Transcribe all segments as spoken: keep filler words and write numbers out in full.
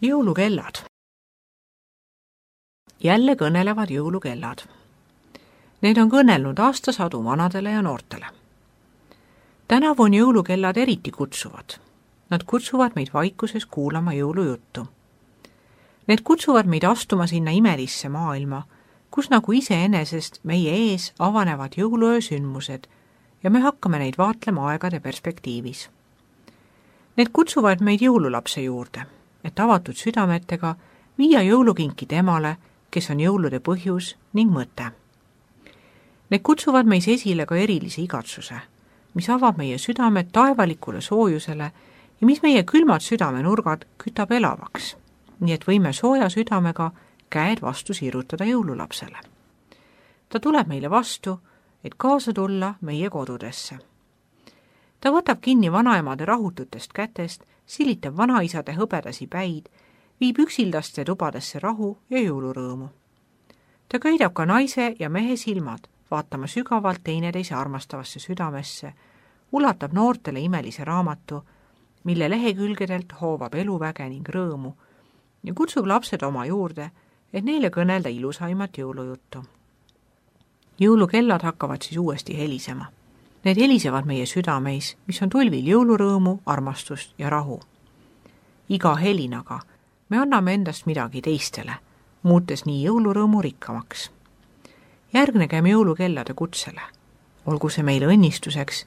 Jõulukellad. Jälle kõnelevad jõulukellad. Need on kõnelnud aastasadu vanadele ja noortele. Tänavu on jõulukellad eriti kutsuvad. Nad kutsuvad meid vaikuses kuulama jõulujuttu. Need kutsuvad meid astuma sinna imelisse maailma, kus nagu iseenesest meie ees avanevad jõuluöö sündmused ja me hakkame neid vaatlema aegade perspektiivis. Need kutsuvad meid jõululapse juurde, et avatud südametega viia jõulukinki temale, kes on jõulude põhjus ning mõte. Need kutsuvad meis esile ka erilise igatsuse, mis avab meie südamed taevalikule soojusele ja mis meie külmad südamenurgad kütab elavaks, nii et võime sooja südamega käed vastu sirutada jõululapsele. Ta tuleb meile vastu, et kaasa tulla meie kodudesse. Ta võtab kinni vanaemade rahututest kätest, silitab vanaisade hõbedasi päid, viib üksildaste tubadesse rahu ja jõulurõõmu. Ta köidab ka naise ja mehe silmad, vaatama sügavalt teineteise armastavasse südamesse, ulatab noortele imelise raamatu, mille lehekülgedelt hoovab eluväge ning rõõmu ja kutsub lapsed oma juurde, et neile kõnelda ilusaimat jõulujuttu. Jõulukellad hakkavad siis uuesti helisema. Need helisevad meie südameis, mis on tulvil jõulurõõmu, armastust ja rahu. Iga helinaga me anname endast midagi teistele, muutes nii jõulurõõmu rikkamaks. Järgnegem jõulukellade kutsele, olgu see meile õnnistuseks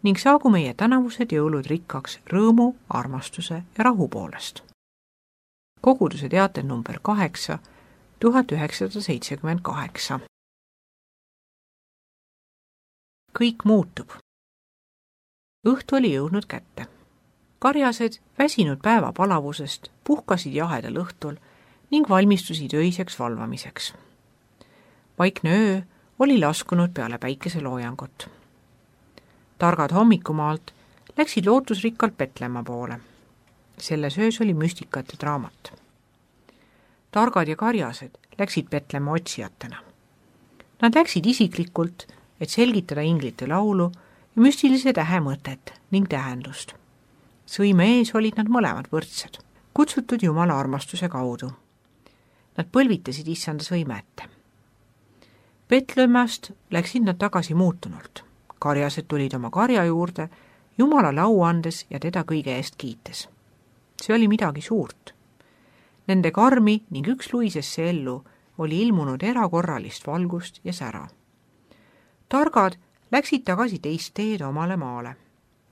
ning saagu meie tänavused jõulud rikkaks rõõmu, armastuse ja rahu poolest. Koguduse teatel number kaheksa, tuhat üheksasada seitsekümmend kaheksa. Kõik muutub. Õhtu oli jõudnud kätte. Karjased, väsinud päeva palavusest, puhkasid jahedal õhtul ning valmistusid öiseks valvamiseks. Vaikne öö oli laskunud peale päikeseloojangut. Targad hommikumaalt läksid lootusrikkalt Petlemma poole. Selles öös oli müstikate draamat. Targad ja karjased läksid Petlemma otsijatena. Nad läksid isiklikult, et selgitada inglite laulu ja müstilise tähe mõtet ning tähendust. Sõime ees olid nad mõlemad võrdsed, kutsutud Jumala armastuse kaudu. Nad põlvitasid issanda sõime ette. Petlemmast läksid nad tagasi muutunult. Karjased tulid oma karja juurde, Jumalale au andes ja teda kõige eest kiites. See oli midagi suurt. Nende karmi ning üks luisesse ellu oli ilmunud erakorralist valgust ja sära. Targad läksid tagasi teist teed omale maale.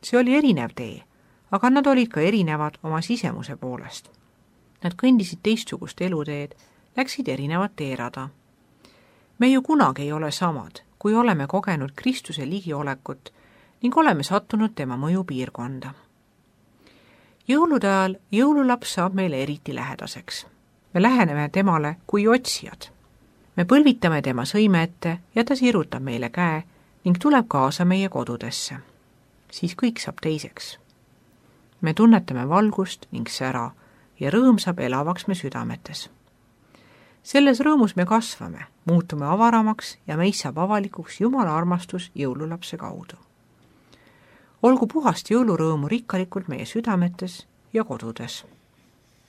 See oli erinev tee, aga nad olid ka erinevad oma sisemuse poolest. Nad kõndisid teistsugust eluteed, läksid erinevat teerada. Me ju kunagi ei ole samad, kui oleme kogenud Kristuse ligiolekut ning oleme sattunud tema mõju piirkonda. Jõulude ajal jõululaps saab meile eriti lähedaseks. Me läheneme temale kui otsijad. Me põlvitame tema sõime ette ja ta sirutab meile käe ning tuleb kaasa meie kodudesse. Siis kõik saab teiseks. Me tunnetame valgust ning sära ja rõõm saab elavaks me südametes. Selles rõõmus me kasvame, muutume avaramaks ja meis saab avalikuks Jumala armastus jõululapse kaudu. Olgu puhast jõulurõõmu rikkalikult meie südametes ja kodudes.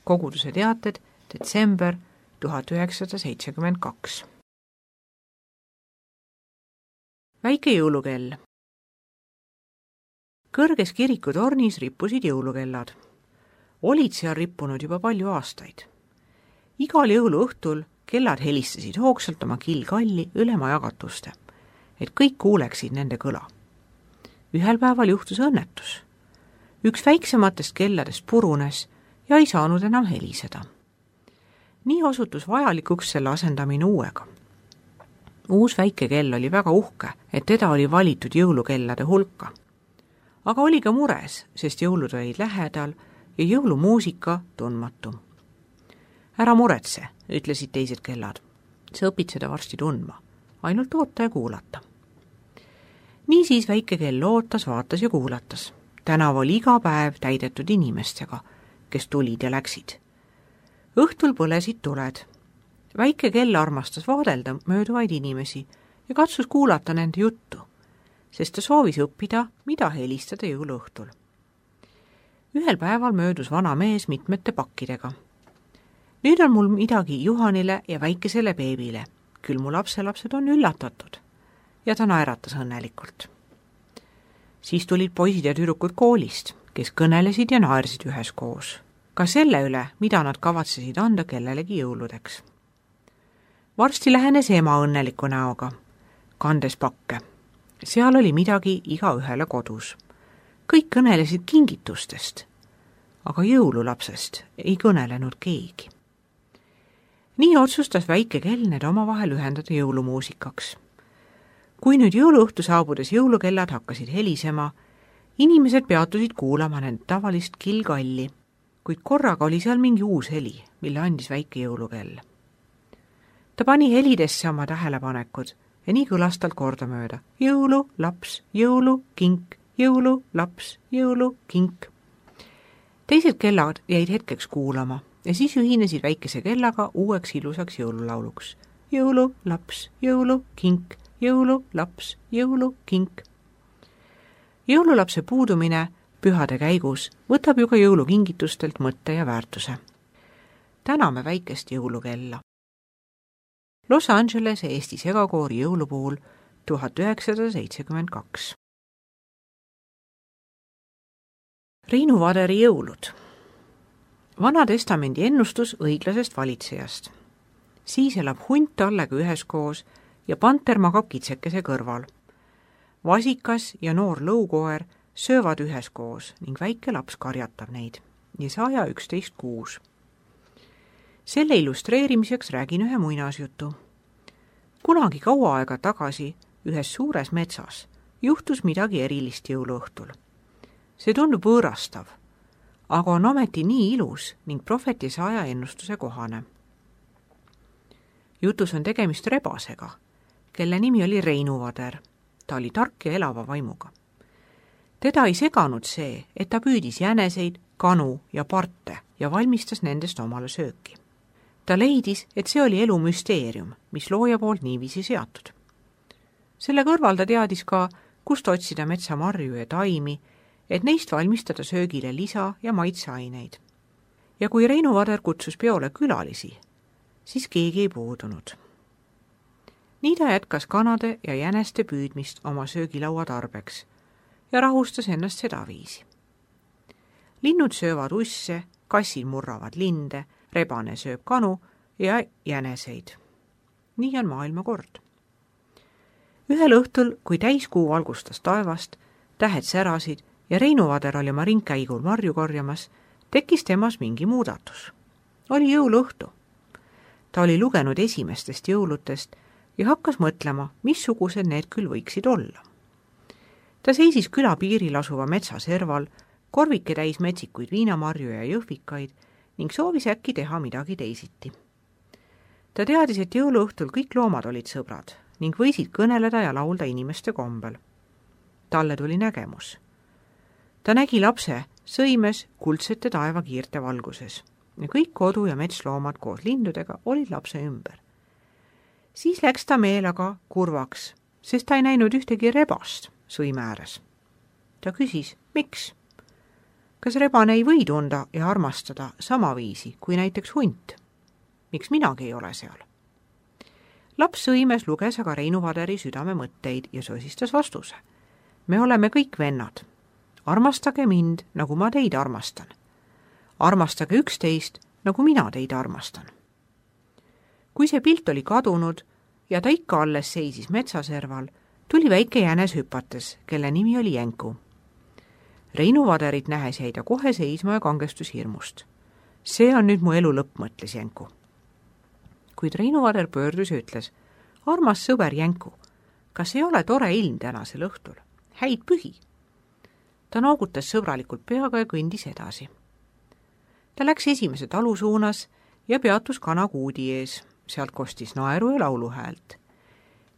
Koguduse teated, detsember tuhat üheksasada seitsekümmend kaks. Väike jõulukell. Kõrges kirikutornis rippusid jõulukellad. Olid seal rippunud juba palju aastaid. Igal jõuluõhtul kellad helistasid hoogsalt oma killkalli üle maja katuste, et kõik kuuleksid nende kõla. Ühel päeval juhtus õnnetus. Üks väiksematest kelladest purunes ja ei saanud enam heliseda. Nii osutus vajalikuks selle asendamine uuega. Uus väike kell oli väga uhke, et teda oli valitud jõulukellade hulka. Aga oli ka mures, sest jõulud olid lähedal ja jõulumuusika tundmatu. Ära muretse, ütlesid teised kellad. Sa õpid seda varsti tundma, ainult oota ja kuulata. Niisiis väike kell ootas, vaatas ja kuulatas. Tänav oli iga päev täidetud inimestega, kes tulid ja läksid. Õhtul põlesid tuled. Väike kell armastas vaadelda mööduvaid inimesi ja katsus kuulata nende juttu, sest ta soovis õppida, mida helistada jõuluõhtul. Ühel päeval möödus vana mees mitmete pakkidega. Nüüd on mul midagi Juhanile ja väikesele beebile. Küll mu lapselapsed on üllatatud. Ja ta naeratas õnnelikult. Siis tulid poisid ja tüdrukud koolist, kes kõnelesid ja naersid üheskoos. Ka selle üle, mida nad kavatsesid anda kellelegi jõuludeks. Varsti lähenes ema õnneliku näoga, kandes pakke. Seal oli midagi iga ühele kodus. Kõik kõnelesid kingitustest, aga jõululapsest ei kõnelenud keegi. Nii otsustas väike Kelner omavahel ühendada jõulumuusikaks. Kui nüüd jõuluõhtu saabudes jõulukellad hakkasid helisema, inimesed peatusid kuulama nende tavalist kilgalli, kuid korraga oli seal mingi uus heli, mille andis väike jõulukell. Ta pani helidesse oma tähelepanekud ja nii kõlas tal kordamööda. Jõulu, laps, jõulu, kink, jõulu, laps, jõulu, kink. Teised kellad jäid hetkeks kuulama ja siis ühinesid väikese kellaga uueks ilusaks jõululauluks. Jõulu, laps, jõulu, kink, jõulu, laps, jõulu, kink. Jõululapse puudumine pühade käigus võtab ju ka jõulukingitustelt mõtte ja väärtuse. Täname väikest jõulukella. Los Angeles Eesti segakoori jõulupuul tuhat üheksasada seitsekümmend kaks. Reinu Vaderi jõulud. Vana testamendi ennustus õiglasest valitsejast. Siis elab hunt tallega üheskoos ja panter magab kitsekese kõrval. Vasikas ja noor lõukoer söövad üheskoos ning väike laps karjatab neid ja saja üksteist kuus. Selle illustreerimiseks räägin ühe muinasjutu. Kunagi kaua aega tagasi ühes suures metsas juhtus midagi erilist jõuluõhtul. See tundub võõrastav, aga on ometi nii ilus ning prohvetise aja ennustuse kohane. Jutus on tegemist rebasega, kelle nimi oli Reinu Vader. Ta oli tark ja elava vaimuga. Teda ei seganud see, et ta püüdis jäneseid, kanu ja parte ja valmistas nendest omale sööki. Ta leidis, et see oli elu müsteerium, mis looja poolt niiviisi seatud. Selle kõrval ta teadis ka, kust otsida metsamarju ja taimi, et neist valmistada söögile lisa ja maitseaineid. Ja kui Reinu Vader kutsus peole külalisi, siis keegi ei puudunud. Nii ta jätkas kanade ja jäneste püüdmist oma söögilaua tarbeks ja rahustas ennast sedaviisi. Linnud söövad usse, kassid murravad linde, rebane sööb kanu ja jäneseid. Nii on maailma kord. Ühel õhtul, kui täiskuu valgustas taevast, tähed särasid ja Reinu Vader oli oma ringkäigul marju korjamas, tekkis temas mingi muudatus. Oli jõuluõhtu. Ta oli lugenud esimestest jõulutest ja hakkas mõtlema, missugused need küll võiksid olla. Ta seisis küla piiril asuva metsa serval, korvike täis metsikuid viinamarju ja jõhvikaid ning soovis äkki teha midagi teisiti. Ta teadis, et jõuluõhtul kõik loomad olid sõbrad ning võisid kõneleda ja laulda inimeste kombel. Talle tuli nägemus. Ta nägi lapse sõimes kuldsete taevakiirte valguses ja kõik kodu- ja metsloomad koos lindudega olid lapse ümber. Siis läks ta meelega kurvaks, sest ta ei näinud ühtegi rebast sõime ääres. Ta küsis, miks? Kas rebane ei või tunda ja armastada sama viisi kui näiteks hunt? Miks minagi ei ole seal? Laps sõimes luges aga Reinu Vaderi südame mõtteid ja sosistas vastuse. Me oleme kõik vennad. Armastage mind, nagu ma teid armastan. Armastage üksteist, nagu mina teid armastan. Kui see pilt oli kadunud ja ta ikka alles seisis metsaserval, tuli väike jänes hüpates, kelle nimi oli Jänku. Reinu Vaderit nähes jäi ta kohe seisma ja kangestus hirmust. See on nüüd mu elu lõpp, mõtles Jänku. Kuid Reinu Vader pöördus ja ütles, armas sõber Jänku, kas ei ole tore ilm tänasel õhtul? Häid pühi! Ta noogutas sõbralikult peaga ja kõndis edasi. Ta läks esimese talu suunas ja peatus kanakuudi ees. Sealt kostis naeru ja lauluhäält.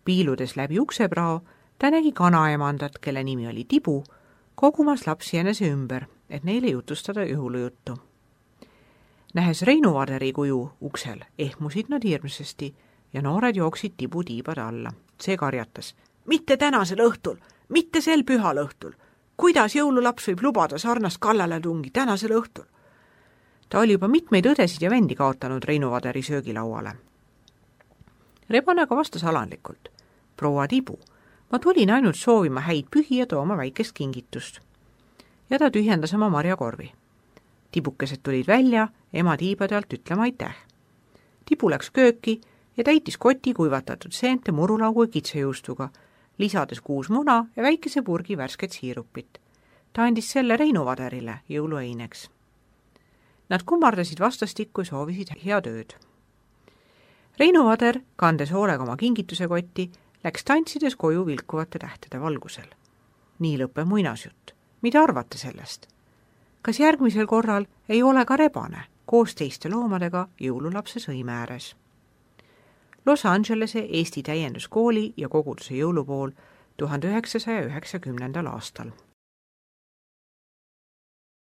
Piiludes läbi ukseprao, ta nägi kanaemandat, kelle nimi oli Tibu, kogumas lapsi jänese ümber, et neile jutustada jõulujuttu. Nähes Reinu Vaderi kuju uksel, ehmusid nad hirmsasti ja noored jooksid Tibu tiibade alla. See karjatas, mitte tänasel õhtul, mitte sel pühal õhtul. Kuidas jõululaps võib lubada sarnast kallaletungi tänasel õhtul? Ta oli juba mitmeid õdesid ja vendi kaotanud Reinu Vaderi söögilauale. Rebane aga vastas alandlikult. Proua Tibu, ma tulin ainult soovima häid pühi ja tooma väikest kingitust. Ja ta tühjendas oma marjakorvi. Tibukesed tulid välja ema tiibade alt ütlema aitäh. Tibu läks kööki ja täitis koti kuivatatud seente murulaugu kitsejuustuga, lisades kuus muna ja väikese purgi värsket siirupit. Ta andis selle Reinu Vaderile jõulueineks. Nad kummardasid vastastikku ja soovisid head ööd. Reinu Vader, kandes hoolega oma kingituse kotti, läks tantsides koju vilkuvate tähtede valgusel. Nii lõppe muinasjutt. Mida arvate sellest? Kas järgmisel korral ei ole ka rebane koos teiste loomadega jõululapse sõime ääres? Los Angelese Eesti täienduskooli ja koguduse jõulupool tuhande üheksasaja üheksakümnendal aastal.